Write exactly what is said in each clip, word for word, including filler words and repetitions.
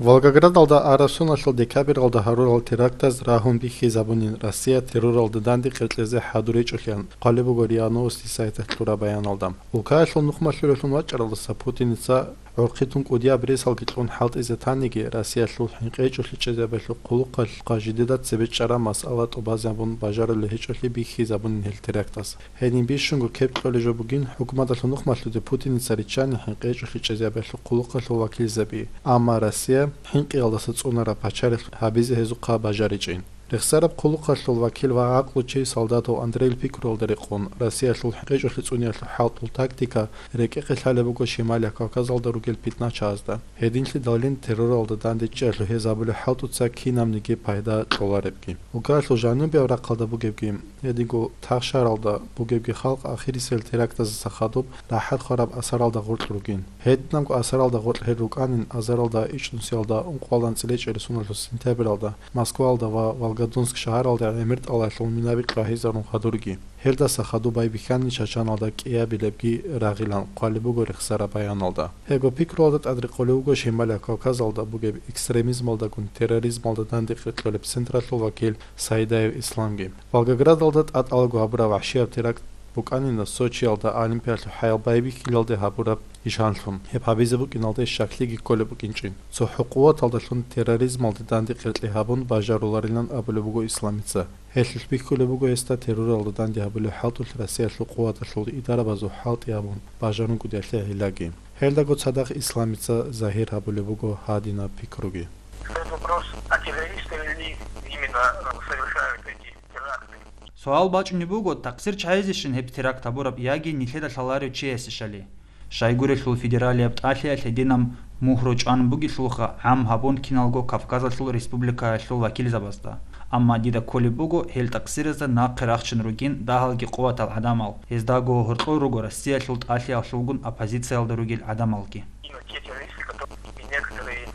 Волгоградалда араб соналъул декабралда гьарурал терактаз рагьун бихьизабунин Россия терроралда данде кьеркьезе хӀадур гьечӀолъиан, хъвалеб буго РИА Новости сайталъ кьураб баяналда. Улкаялъул нухмалъуралъун вачӀаралдаса Путиница гӀурхъи тун кӀудияб ресалги кьун хӀалтӀизе таниги, Россиялъул хӀинкъи гьечӀолъи чӀезабиялъул хъулухъалъухъа жидеда цебе чӀараб масъала тӀубазабун бажарулеб гьечӀолъи бихьизабунин гьел терактаз. Гьедин бищунго кеп кьолеб жо бугин хӀукуматалъул нухмалъуде Путиница риччани хӀинкъи гьечӀолъи чӀезабиялъул хъулухъалъул вакилзаби, амма Россия хӀинкъиялдаса цӀунараб пачалихъ гьабизе гьезухъа бажаричӀин. Рехсараб хъулухъалъул вакил ва гӀакълу чи солдатав Андрейил пикруялда рекъон, Россиялъул хӀинкъи гьечӀолъи цӀуниялъул хӀалтӀул тактика рекӀехъе лъалеб буго Шималияб Кавказалда ругел питначагӀазда. Гьединлъидалин терроралда данде чӀеялъул гьез гьабулеб хӀалтӀуца кинабниги пайда кьоларебги. Улкаялъул жанубияб рахъалда бугебги, гьединго тахшаралда бугебги халкъ ахирисел терактаздаса хадуб рахӀат хвараб асаралда гъоркь ругин. Гьединабго асаралда гъоркь гьел рукӀанин азаралда ичӀнусиялда ункъоялда анцӀила ичӀересуналъул сентябралда Москваялда ва Волгодонск шагьаралда гӀемер тӀалалъул минаби кьвагьизарун хадурги. Гьелдаса хадуб байбихьани Чачаналда кӀиабилебги рагъилан хъвалеб буго рехсараб баяналда. Гьебго пикруялда тӀадрекъолеб буго Шималияб Кавказалда бугеб экстремизмалдагун терроризмалда данде кьеркьолеб централъул вакил Сайдаев Исламги. Волгоградалда тӀатӀалаго гьабураб вагьшияб теракт букӀанина Сочиялда Олимпиялъул хӀаял байбихьилалде гьабураб ишанлъун, гьеб гьабизе букӀиналде щаклъиги кколеб букӀинчӀин. ЦохӀо къуваталдалъун терроризмалде данде кьеркье гьабун бажаруларилан абулеб буго Исламица. Гьелъулъ бихьулеб буго гьесда терроралда данде гьабулеб хӀалтӀулъ Россиялъул къуваталъул идарабазул хӀалтӀи гьабун бажарун кӀудиялъе гӀиллаги. Гьелдаго цадахъ Исламица загьир гьабулеб буго гьадинаб пикруги. Стоит вопрос, а террористы ли именно, э, совершают эти теракты? Суал бачӀунеб буго, такъсир чагӀазейищин гьеб теракт гьабураб яги нилъеда лъаларев чиясейищали? Щайгурелъул федералияб тӀалъиялъ гьединаб мугьру чӀван бугелъулха гӀам гьабун киналго Кавказалъул республикаялъул вакилзабазда. Амма дида кколеб буго гьел такъсиразда нахъе рахчун ругин дагьалги къуватал гӀадамал, гьездаго гьоркьор руго Россиялъул тӀалъиялъулгун оппозициялда ругел гӀадамалги. Именно те террористы, которые и некоторые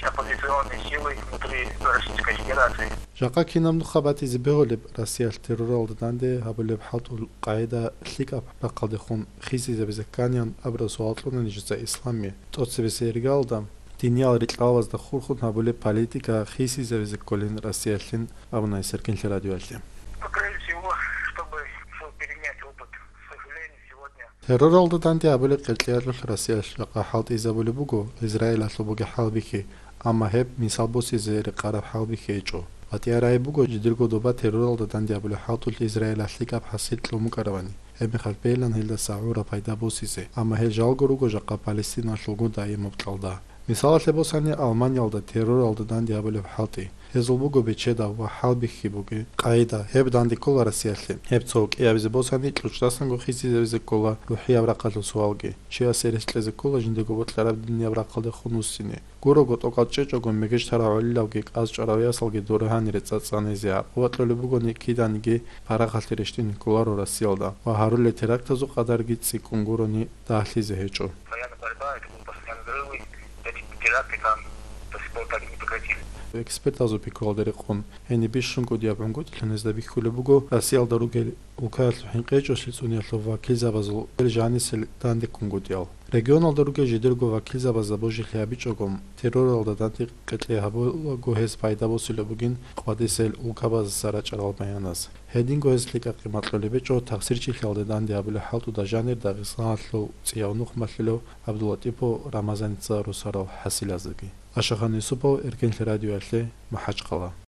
оппозиционные силы внутри Российской Федерации. Жакъа кинаб нуха батизе бегьулеб Россиялъ терроралда данде гьабулеб хӀалтӀул къагӀида лъикӀаб рахъалдехун хисизабизе кканин абураб суал кьуна нижеца Исламие. ТӀоцебесеб иргаялда диниял рикьалазда хурхун гьабулеб политика хисизабизе кколин Россиялъин абуна гьес Эркенлъи радиоялъе. Ну, прежде всего, чтобы перенять опыт, к сожалению, сегодня Терроралда данде гьабулеб кьеркьеялъулъ Россиялъ жакъа хӀалтӀизабулеб буго Израилалъул бугеб хӀалбихьи, амма гьеб мисал босизе рекъараб хӀалбихьи гьечӀо. БатӀияб рагӀи буго жидерго доба терроралда данде гьабулеб хӀалтӀулъ Израилалъ лъикӀаб хӀасил кьун букӀарабани, гьебмехалъ бейилан гьелдаса гӀураб пайда босизе, амма гьел жалго руго жакъа Палестиналъулго даимаб кьалда. Мисалалъе босани, Алманиялда терроралда данде гьабулеб хӀалтӀи. Гьезул буго бечедав ва хӀалбихьи бугеб къагӀида, гьеб данде ккола Россиялъе. Гьеб цо кӀиабизе босани, кьучӀдасанго хисизабизе ккола рухӀияб рахъалъул суалги. Чиясе рес кьезе ккола жиндего бокьараб динияб рахъалдехун вуссине. Гурого тӀокӀал чӀечӀого мегеж тарав гӀолилавги кӀаз чӀварав ясалги доре гьанире цӀацӀанизе гӀакъуба кьолеб бугони, киданиги парахалъе рещтӀине кколаро Россиялда ва гьарулел терактазул къадарги цӀикӀкӀун гурони дагьлъизе гьечӀо. Постоянно борьба, это будут постоянно взрывы, эти теракты там до сих пор так и не прекратились. Экспертазул пикруялда рекъон, гьениб бищун кӀудияб гӀунгутӀилъун гьезда бихьулеб буго Россиялда ругел улкаялъул хӀинкъи гьечӀолъи цӀуниялъул вакилзабазул гьел жанисел данде ккунгутӀиял. Регионалда ругел жидерго вакилзабазда божилъи гьабичӀого, терроралда данде кьеркье гьабулаго гьез пайда босулеб бугин къвадисел улкабаздаса рачӀарал баяназ. Гьединго гьез лъикӀа къимат кьолеб гьечӀо тахсирчилъиялда данде гьабулеб хӀалтӀуда жанир Дагъистаналъул цӀияв нухмалъулев ГӀабдуллатӀипов Рамазаница росарал хӀасилаздаги. Ашахан Юсупов, Эркенлъи радиоялъе, МахӀачхъала.